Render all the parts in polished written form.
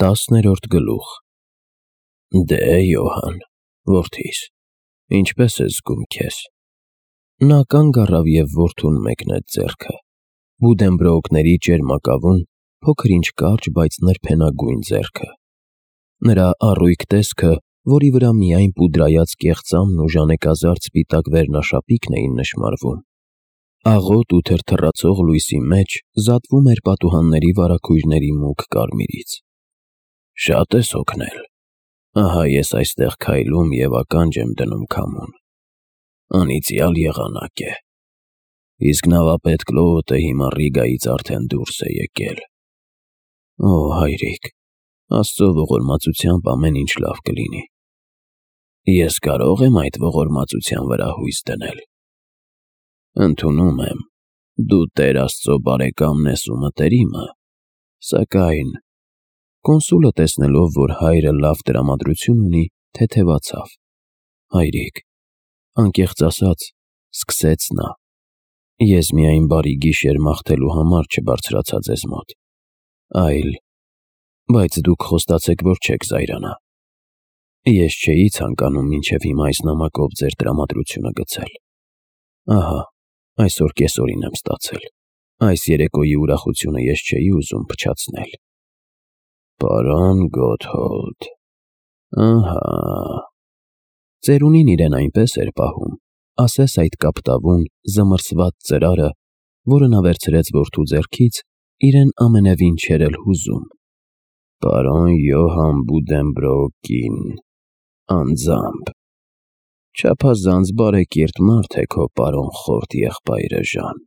10-րդ գլուխ։ Դե, Յոհան, որդիս, ինչպե՞ս ես զգում քեզ։ Նա կանգ առավ և որդուն մեկնեց ձեռքը։ Բուդենբրոուկների ճերմակավուն, փոքր-ինչ կարճ, բայց նրբենագույն ձեռքը։ Նրա առույգ տեսքը, որի վրա միայն պուդրայած կեղծամն ու ժանեկազարդ սպիտակ վերնաշապիկն էին նշմարվում, աղոտ ու թրթռացող լույսի մեջ զատվում էր պատուհանների վարագույրների մուգ կարմիրից։ Շատ ես հոգնել։ Ահա ես այստեղ քայլում և ականջ եմ դնում քամուն։ Անիծյալ եղանակ է։ Իսկ նավապետ Կլոոտը հիմա Ռիգայից արդեն դուրս է եկել։ Օ, հայրիկ, Աստծո ողորմածությամբ ամեն ինչ լավ կլինի։ Ես կարո՞ղ եմ այդ ողորմածության վրա հույս դնել։ Ընդունում եմ, դու Տեր Աստծո բարեկամն ես ու մտերիմը, սակայն… Կոնսուլը, տեսնելով, որ հայրը լավ տրամադրություն ունի, թեթևացավ։ Հայրիկ, անկեղծ ասած, սկսեց նա, ես միայն բարի գիշեր մաղթելու համար չբարձրացա ձեզ մոտ, այլ… Բայց դուք խոստացեք, որ չեք զայրանա։ Ես չէի ցանկանում մինչև հիմա այս նամակով ձեր տրամադրությունը գցել։ Ահա, այսօր կեսօրին եմ ստացել։ Այս երեկոյի ուրախությունը ես չէի ուզում փչացնել։ Պարոն Գոթհոլդ… Ահա… Ծերունին իրեն այնպես էր պահում, ասես այդ կապտավուն, զմռսված ծրարը, որը նա վերցրեց որդու ձեռքից, իրեն ամենևին չէր էլ հուզում։ Պարոն Յոհան Բուդենբրոուկին… անձամբ… Չափազանց բարեկիրթ մարդ է քո պարոն խորթ եղբայրը Ժան։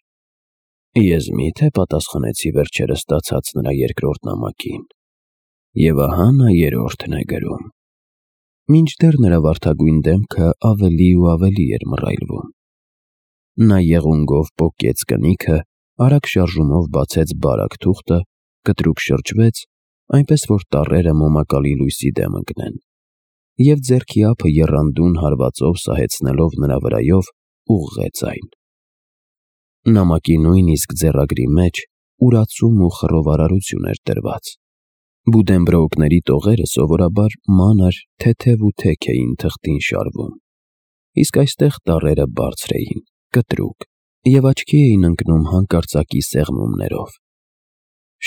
Ես մի՞թե պատասխանեցի վերջերս ստացած նրա երկրորդ նամակին։ Եվ ահա նա երրորդն է գրում։ Մինչդեռ նրա վարդագույն դեմքը ավելի ու ավելի էր մռայլվում։ Նա եղունգով պոկեց կնիքը, արագ շարժումով բացեց բարակ թուղթը, կտրուկ շրջվեց, այնպես որ տառերը մոմակալի լույսի դեմ ընկնեն, և ձեռքի ափը եռանդուն հարվածով սահեցնելով նրա վրայով, ուղղեց այն։ Նամակի նույնիսկ ձեռագրի մեջ ուրացում ու խռովարարություն էր դրված։ Բուդենբրոուկների տողերը սովորաբար մանր, թեթև ու թեք էին թղթին շարվում, իսկ այստեղ տառերը բարձր էին, կտրուկ և աչքի էին ընկնում հանկարծակի սեղմումներով։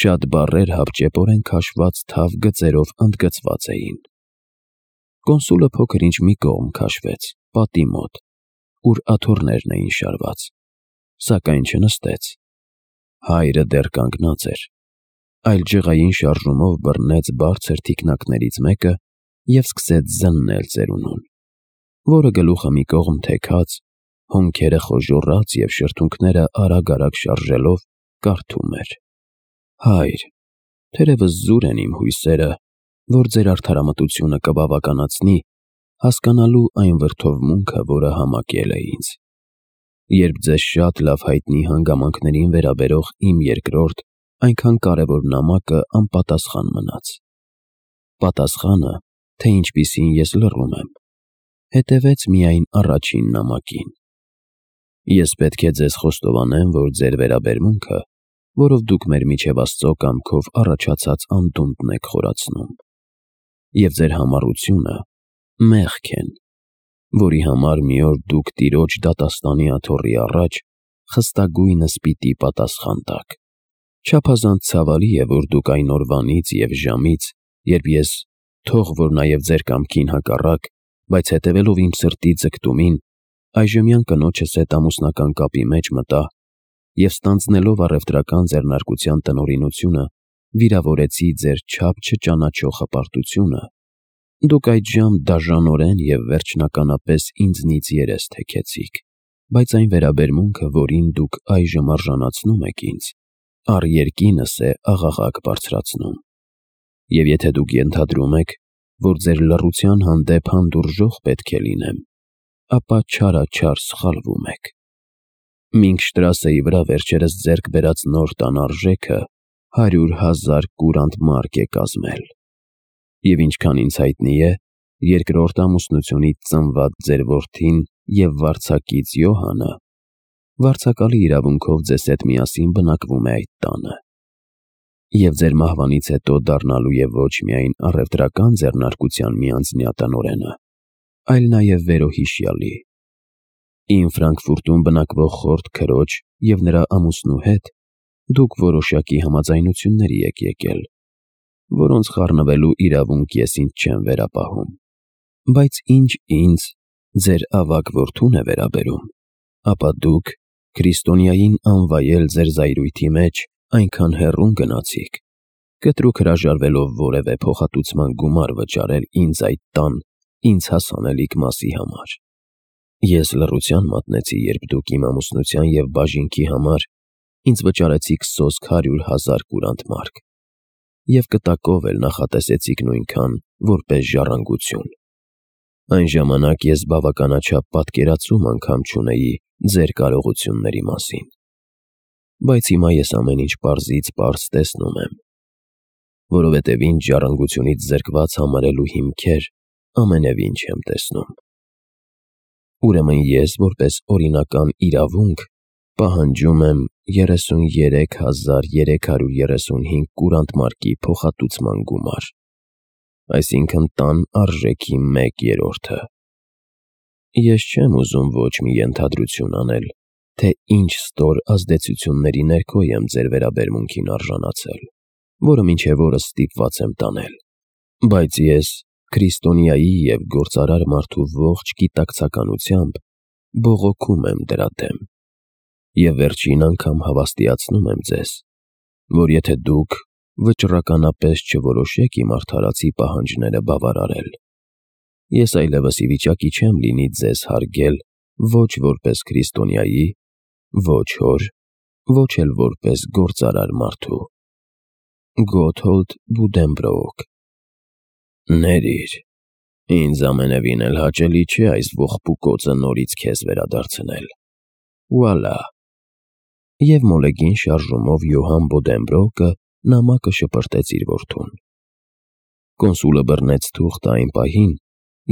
Շատ բառեր հապճեպորեն քաշված թավ գծերով ընդգծված էին։ Կոնսուլը փոքր-ինչ մի կողմ քաշվեց, պատի մոտ, ուր աթոռներն էին շարված, սակայն չնստեց։ Հայրը դեռ կանգնած էր, այլ ջղային շարժումով բռնեց բարձր թիկնակներից մեկը և սկսեց զննել ծերունուն, որը գլուխը մի կողմ թեքած, հոնքերը խոժոռած և շրթունքները արագ-արագ շարժելով կարդում էր. Հայր, թերևս զուր են իմ հույսերը, որ ձեր արդարամտությունը կբավականացնի հասկանալու այն վրդովմունքը, որը համակել է ինձ, երբ ձեզ շատ լավ հայտնի հանգամանքներին վերաբերող իմ երկրորդ, այնքան կարևոր նամակը անպատասխան մնաց։ Պատասխանը, թե ինչպիսին ես լռում եմ, հետևեց միայն առաջին նամակին։ Ես պետք է ձեզ խոստովանեմ, որ ձեր վերաբերմունքը, որով դուք մեր միջև Աստծո կամքով առաջացած անդունդն եք խորացնում, և ձեր համառությունը մեղք են, որի համար մի օր դուք Տիրոջ դատաստանի աթոռի առաջ խստագույնս պիտի պատասխան տաք։ Չափազանց ցավալի է, որ դուք այն օրվանից և ժամից, երբ ես, թող որ նաև ձեր կամքին հակառակ, բայց հետևելով իմ սրտի ձգտումին, այժմյան կնոջս հետ ամուսնական կապի մեջ մտա և ստանձնելով առևտրական ձեռնարկության տնօրինությունը, վիրավորեցի ձեր չափ չճանաչող հպարտությունը, դուք այդժամ դաժանորեն և վերջնականապես ինձնից երես թեքեցիք, բայց այն վերաբերմունքը, որին դուք այժմ արժանացնում եք ինձ, առ երկինս է աղաղակ բարձրացնում։ Եվ եթե դուք ենթադրում եք, որ ձեր լռության հանդեպ հանդուրժող պետք է լինեմ, ապա չարաչար սխալվում եք։ Մինքշտրասեի վրա վերջերս ձեռք բերած նոր տան արժեքը 100,000 կուրանտ մարկ է կազմել։ Եվ ինչքան ինձ հայտնի է, երկրորդ ամուսնությունից ծնված ձեր որդին և վարձակից Յոհանը վարձակալի իրավունքով ձեզ հետ միասին բնակվում է այդ տանը։ Եվ ձեր մահվանից հետո դառնալու է ոչ միայն առևտրական ձեռնարկության մի անձնյա տնօրենը, այլ նաև վերոհիշյալի։ Իմ Ֆրանկֆուրտում բնակվող խորթ քրոջ և նրա ամուսնու հետ դուք որոշակի համաձայնությունների եք եկել, որոնց խառնվելու իրավունք ես ինձ չեմ վերապահում։ Բայց ինչ ինձ, ձեր ավագ որդուն է վերաբերում, ապա դուք քրիստոնյային անվայել ձեր զայրույթի մեջ այնքան հեռուն գնացիք, կտրուկ հրաժարվելով որևէ փոխհատուցման գումար վճարել ինձ այդ տան ինձ հասանելիք մասի համար։ Ես լռության մատնեցի, երբ դուք իմ ամուսնության և բաժինքի համար ինձ վճարեցիք սոսկ 100,000 կուրանտ մարկ և կտակով էլ նախատեսեցիք նույնքան որպես ժառանգություն։ Այն ժամանակ ես բավականաչափ պատկերացում անգամ չունեի ձեր կարողությունների մասին։ Բայց հիմա ես ամեն ինչ պարզից պարզ տեսնում եմ, որովհետև ինձ ժառանգությունից զրկված համարելու հիմքեր ամենևին չեմ տեսնում։ Ուրեմն ես, որպես օրինական իրավունք, պահանջում եմ 33,335 կուրանտ մարկի փոխհատուցման գումար, այսինքն տան արժեքի 1/3-ը։ Ես չեմ ուզում ոչ մի ենթադրություն անել, թե ինչ ստոր ազդեցությունների ներքո եմ ձեր վերաբերմունքին արժանացել, որը մինչև օրս ստիպված եմ տանել։ Բայց ես քրիստոնյայի և գործարար մարդու ողջ գիտակցականությամբ բողոքում եմ դրա դեմ և վերջին անգամ հավաստիացնում եմ ձեզ, որ եթե դուք վճռականապես չորոշեք իմ արդարացի պահանջները բավարարել, ես այլևս ի վիճակի չեմ լինի ձեզ հարգել ոչ որպես քրիստոնյայի, ոչ հոր, ոչ էլ որպես գործարար մարդու։ Գոթհոլդ Բուդենբրոուք։ Ներիր, ինձ ամենևին էլ հաճելի չէ այս ողբուկոծը նորից քեզ վերադարձնել։ Վուալա։ Եվ մոլեգին շարժումով Յոհան Բոդենբրոկը նամակը շպրտեց իր որդուն։ Կոնսուլը բռնեց թուղթը այն պահին,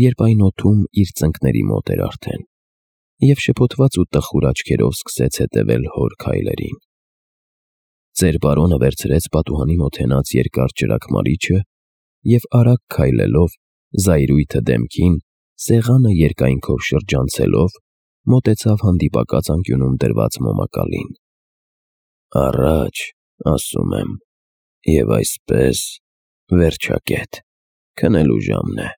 երբ այն օդում իր ծնկների մոտ էր արդեն, և շփոթված ու տխուր աչքերով սկսեց հետևել հոր քայլերին։ Ծեր բարոնը վերցրեց պատուհանի մոտ հենած երկար ճրագմարիչը և արագ քայլելով, զայրույթը դեմքին, սեղանը երկայնքով շրջանցելով, մոտեցավ հանդիպակաց անկյունում դրված մոմակալին։ Առաջ, ասում եմ, և այսպես վերջակետ, քնելու ժամն է։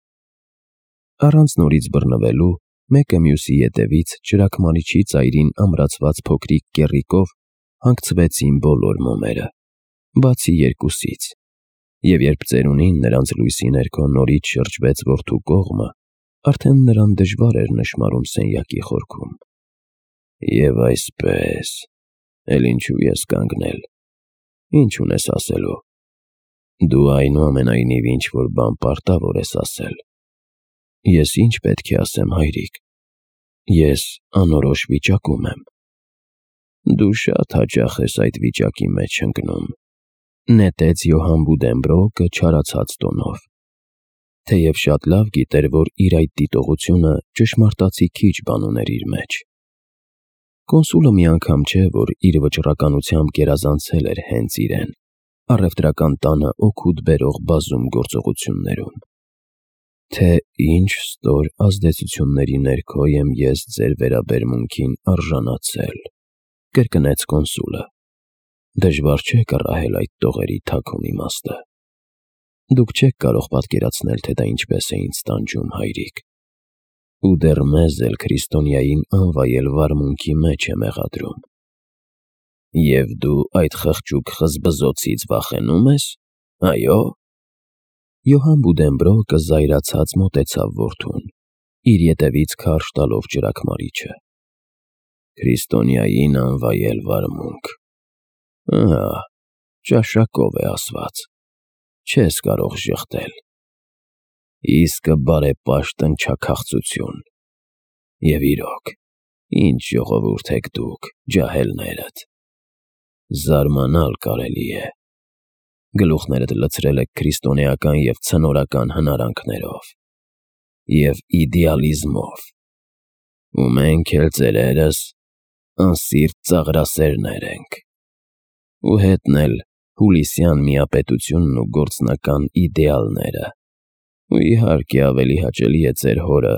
Առանց նորից բռնվելու, մեկը մյուսի ետևից ճրագմարիչի ծայրին ամրացված փոքրիկ կեռիկով հանգցվեցին բոլոր մոմերը, բացի երկուսից, և երբ ծերունին նրանց լույսի ներքո նորից շրջվեց որդու կողմը, արդեն նրան դժվար էր նշմարում սենյակի խորքում։ Եվ այսպես, էլ ինչու ես կանգնել, ինչ ունես ասելու։ Դու այնուամենայնիվ ինչ-որ բան պարտավոր ես ասել։ Ես ինչ պետք է ասեմ, հայրիկ։ Ես անորոշ վիճակում եմ։ Դու շատ հաճախ ես այդ վիճակի մեջ ընկնում, նետեց Յոհան Բուդենբրոկը չարացած տոնով, թեև շատ լավ գիտեր, որ իր այդ դիտողությունը ճշմարտացի քիչ բան ուներ իր մեջ։ Կոնսուլը մի անգամ չէ, որ իր վճռականությամբ գերազանցել էր հենց իրեն, առևտրական տանը օգուտ բերող բազում գործողություններում։ Թե ինչ ստոր ազդեցությունների ներքո եմ ես ձեր վերաբերմունքին արժանացել, կրկնեց կոնսուլը։ Դժվար չէ կռահել այդ տողերի թաքուն իմաստը։ Դուք չեք կարող պատկերացնել, թե դա ինչպես է ինձ տանջում, հայրիկ։ Ու դեռ մեզ էլ քրիստոնյային անվայել վարմունքի մեջ է մեղադրում։ Եվ դու այդ խղճուկ խզբզոցից վախենու՞մ ես, այո։ Յոհան Բուդենբրոկը զայրացած մոտեցավ որդուն, իր ետևից քարշ տալով ճրագմարիչը։ Քրիստոնյային անվայել վարմունք։ Ահա, ճաշակով է ասված, չես կարող ժխտել։ Իսկը բարեպաշտ ընչաքաղցություն։ Եվ իրոք, ինչ ժողովուրդ եք դուք, ջահելներդ։ Զարմանալ կարելի է։ Գլուխներդ լցրել եք քրիստոնեական և ցնորական հնարանքներով և իդեալիզմով, ու մենք էլ ծերերս անսիրտ ծաղրասերներ ենք, ու հետն էլ հուլիսյան միապետությունն ու գործնական իդեալները։ Ու իհարկե ավելի հաճելի է ձեր հորը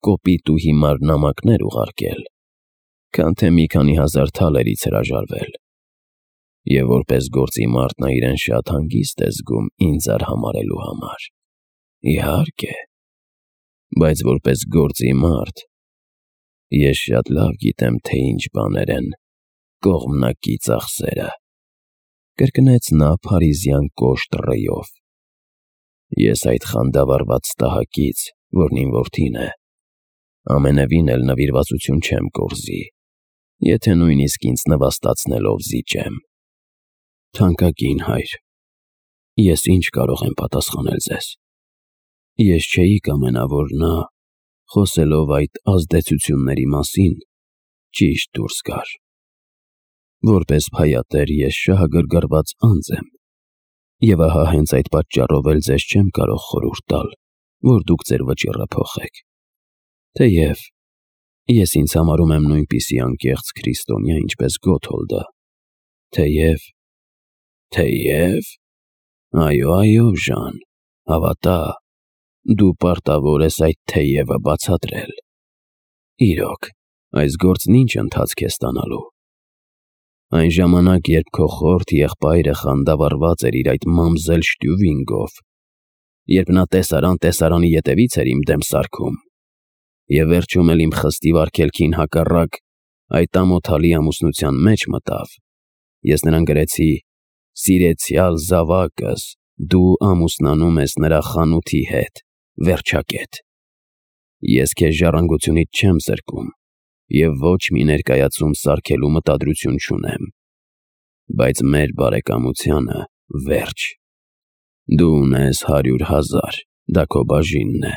կոպիտ ու հիմար նամակներ ուղարկել, քան թե մի քանի հազար թալերից հրաժարվել։ Եվ որպես գործի մարդ նա իրեն շատ հանգիստ է զգում ինձ արհամարհելու համար։ Իհարկե, բայց որպես գործի մարդ ես շատ լավ գիտեմ, թե ինչ բաներ են կողմնակի ծախսերը, կրկնեց նա փարիզյան կոշտ ռեյով։ Ես այդ խանդավառված տհակից, որն իմ որդին է, ամենևին էլ նվիրվածություն չեմ կորզի, եթե նույնիսկ ինձ նվաստացնելով զիջեմ։ Թանկագին հայր, ես ինչ կարող եմ պատասխանել ձեզ։ Ես չէի կամենա, որ նա, խոսելով այդ ազդեցությունների մասին, ճիշտ դուրս գար։ Որպես փայատեր ես շահագրգռված անձ եմ, և ահա հենց այդ պատճառով էլ ձեզ չեմ կարող խորհուրդ տալ, որ դուք ձեր վճիռը փոխեք։ Թեև ես ինձ համարում եմ նույնպիսի անկեղծ քրիստոնյա, ինչպես Գոթոլդը։ Թեև, այո, Ժան, հավատա, դու պարտավոր ես այդ թեևը բացատրել։ Իրոք, այս գործն ինչ ընթացք է ստանալու։ Այն ժամանակ, երբ քո խորթ եղբայրը խանդավառված էր իր այդ մամզել Շտյուվինգով, երբ նա տեսարանի ետևից էր իմ դեմ սարքում, և վերջում էլ իմ խստիվ արգելքին հակառակ այդ ամոթալի ամուսնության մեջ մտավ, ես նրան գրեցի. «Սիրեցյալ զավակս, դու ամուսնանում ես նրա խանութի հետ, վերջակետ։ Ես քեզ ժառանգությունից չեմ զրկում և ոչ մի ներկայացում սարքելու մտադրություն չունեմ, բայց մեր բարեկամությանը վերջ։ Դու ունես 100,000, դա քո բաժինն է,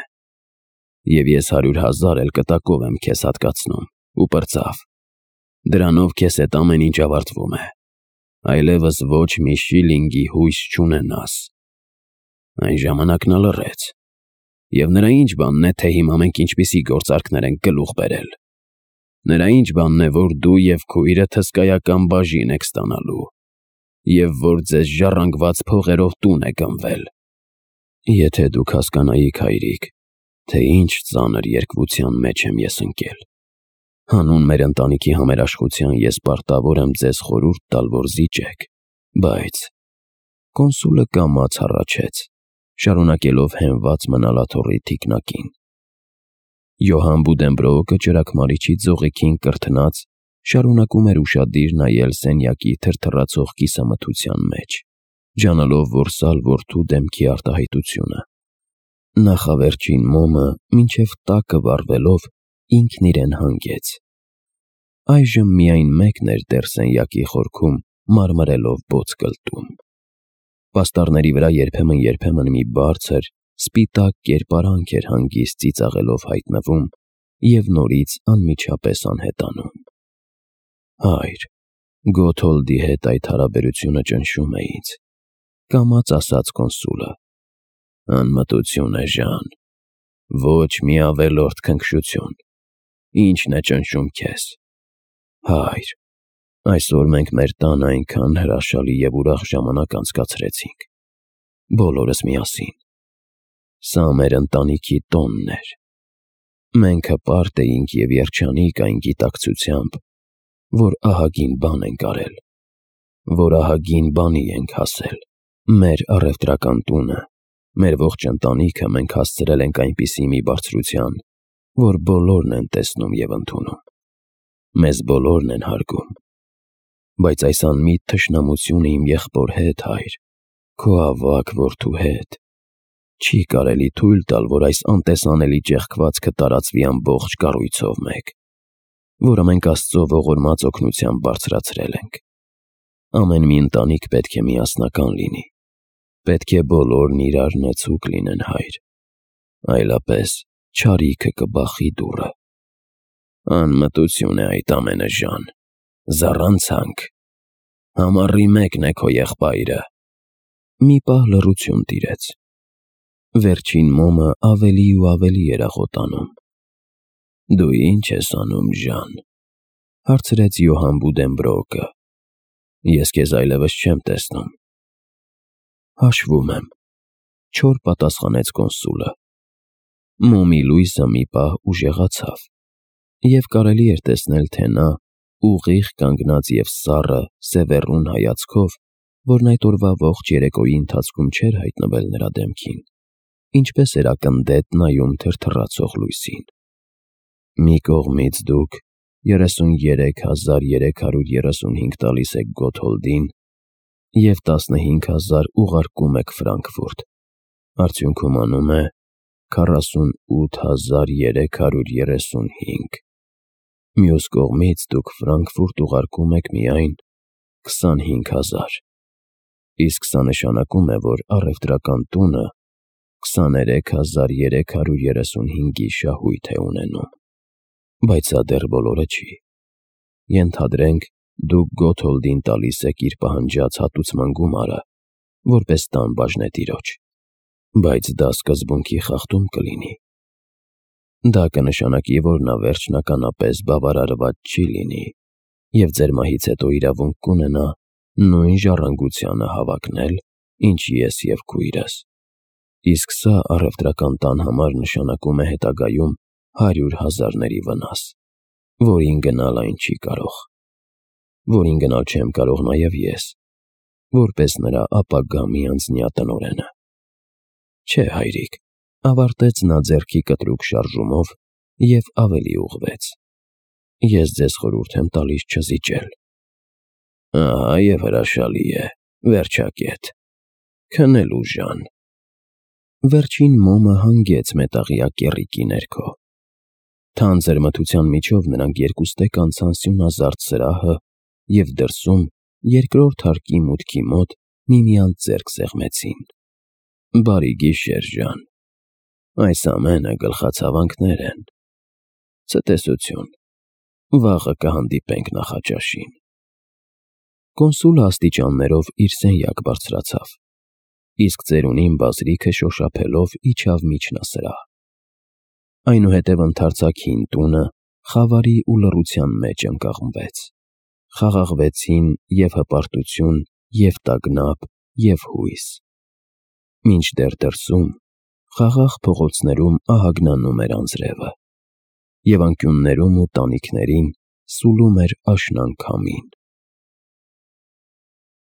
և ես 100,000 էլ կտակով եմ քեզ հատկացնում, ու պրծավ, դրանով քեզ հետ ամեն ինչ ավարտվում է, այլևս ոչ մի շիլինգի հույս չունենաս»։ Այն ժամանակ նա լռեց, և նրա ինչ բանն է, թե հիմա մենք ինչպիսի գործարքներ ենք գլուխ բերել։ Նրա ինչ բանն է, որ դու և քույրդ հսկայական բաժին եք ստանալու, և որ ձեզ ժառանգված փողերով տուն է գնվել։ Եթե դուք հասկանայիք, հայրիկ, թե ինչ ծանր երկվության մեջ եմ ես ընկել։ Հանուն մեր ընտանիքի համերաշխության ես պարտավոր եմ ձեզ խորհուրդ տալ, որ զիջեք, բայց… Կոնսուլը կամաց հառաչեց, շարունակելով հենված մնալ աթոռի թիկնակին։ Յոհան Բուդենբրոուկը ճրագմարիչի ձողիկին կրթնած շարունակում էր ուշադիր նայել սենյակի թրթռացող կիսամթության մեջ, ջանալով որսալ որդու դեմքի արտահայտությունը։ Նախավերջին մոմը մինչև տակը վառվելով ինքն իրեն հանգեց։ Այժմ միայն մեկն էր դեռ սենյակի խորքում մարմրելով բոց կլտում։ Պաստառների վրա երբեմն մի բարձր, սպիտակ կերպարանք էր հանգիստ ծիծաղելով հայտնվում և նորից անմիջապես անհետանում։ Հայր, Գոթոլդի հետ այդ հարաբերությունը ճնշում է ինձ, կամաց ասաց կոնսուլը։ Անմտություն է, Ժան, ոչ մի ավելորդ քնքշություն։ Ի՞նչն է ճնշում քեզ։ Հայր, այսօր մենք մեր տանը այնքան հրաշալի և ուրախ ժամանակ անցկացրեցինք, բոլորս միասին։ Սա մեր ընտանիքի տոնն էր։ Մենք հպարտ էինք և երջանիկ այն գիտակցությամբ, որ ահագին բան ենք արել, որ ահագին բանի ենք հասել։ Մեր առևտրական տունը, մեր ողջ ընտանիքը մենք հասցրել ենք այնպիսի մի բարձրության, որ բոլորն են տեսնում և ընդունում։ Մեզ բոլորն են հարգում։ Բայց այս անմիտ թշնամությունը իմ եղբոր հետ, հայր, քո ավագ որդու հետ, չի կարելի թույլ տալ, որ այս անտեսանելի ճեղքվածքը տարածվի ամբողջ կառույցով մեկ, որը մենք Աստծո ողորմած օգնությամբ բարձրացրել ենք։ Ամեն մի ընտանիք պետք է միասնական լինի, պետք է բոլորն իրար նեցուկ լինեն, հայր, այլապես չարիքը կբախի դուռը։ Անմտություն է այդ ամենը, Ժան, զառանցանք։ Համառի մեկն է քո եղբայրը։ Մի պահ լռություն տիրեց։ Վերջին մոմը ավելի ու ավելի էր աղոտանում։ Դու ի՞նչ ես անում, Ժան, հարցրեց Յոհան Բուդենբրոուկը։ Ես քեզ այլևս չեմ տեսնում։ Հաշվում եմ, չոր պատասխանեց կոնսուլը։ Մոմի լույսը մի պահ ուժեղացավ, և կարելի էր տեսնել, թե նա ուղիղ կանգնած և սառը, սևեռուն հայացքով, որն այդ օրվա ողջ երեկոյի ընթացքում չէր հայտնվել նրա դեմքին, ինչպես էր ակնդետ նայում թրթռացող լույսին։ Մի կողմից դուք 33,335 տալիս եք Գոթհոլդին և 15,000 ուղարկում եք Ֆրանկֆուրտ, արդյունքում անում է 48,335։ Մյուս կողմից դուք Ֆրանկֆուրտ ուղարկում եք միայն 25,000, իսկ սա նշանակում է, որ առևտրական տունը 23,335-ի շահույթ է ունենում։ Բայց սա դեռ բոլորը չի։ Ենթադրենք, դուք Գոթհոլդին տալիս եք իր պահանջած հատուցման գումարը, որպես տան բաժնետիրոջ, բայց դա սկզբունքի խախտում կլինի։ Դա կնշանակի, որ նա վերջնականապես բավարարված չի լինի և ձեր մահից հետո իրավունք կունենա նույն ժառանգությանը հավակնել, ինչ ես և քույրս, իսկ սա առևտրական տան համար նշանակում է հետագայում 100,000-ների վնաս, որին գնալ այն չի կարող, որին գնալ չեմ կարող նաև ես, որպես նրա ապագա միանձնյա տնօրենը։ Չէ, հայրիկ, ավարտեց նա ձեռքի կտրուկ շարժումով և ավելի ուղղվեց, ես ձեզ խորհուրդ եմ տալիս չզիջել։ Ահա և հրաշալի է, վերջակետ, քնելու ժան։ Վերջին մոմը հանգեց մետաղյա կեռիկի ներքո։ Թանձր մթության միջով նրանք երկուստեք անցան սյունազարդ սրահը և դրսում, երկրորդ հարկի մուտքի մոտ միմյանց ձեռք սեղմեցին։ Բարի գիշեր, Ժան, այս ամենը գլխացավանքներ են։ Ցտեսություն, վաղը կհանդիպենք նախաճաշին։ Կոնսուլը աստիճաններով իր սենյակ բարձրացավ, իսկ ծերունին բազրիքը շոշափելով իջավ միջնասրահ։ Այնուհետև ընդարձակ հին տունը խավարի ու լռության մեջ ընկղմվեց։ Խաղաղվեցին և հպարտություն, և տագնապ, և հույս։ Մինչդեռ դրսում, խաղաղ փողոցներում ահագնանում էր անձրևը, և անկյուններում ու տանիքներին սուլում էր աշնան քամին։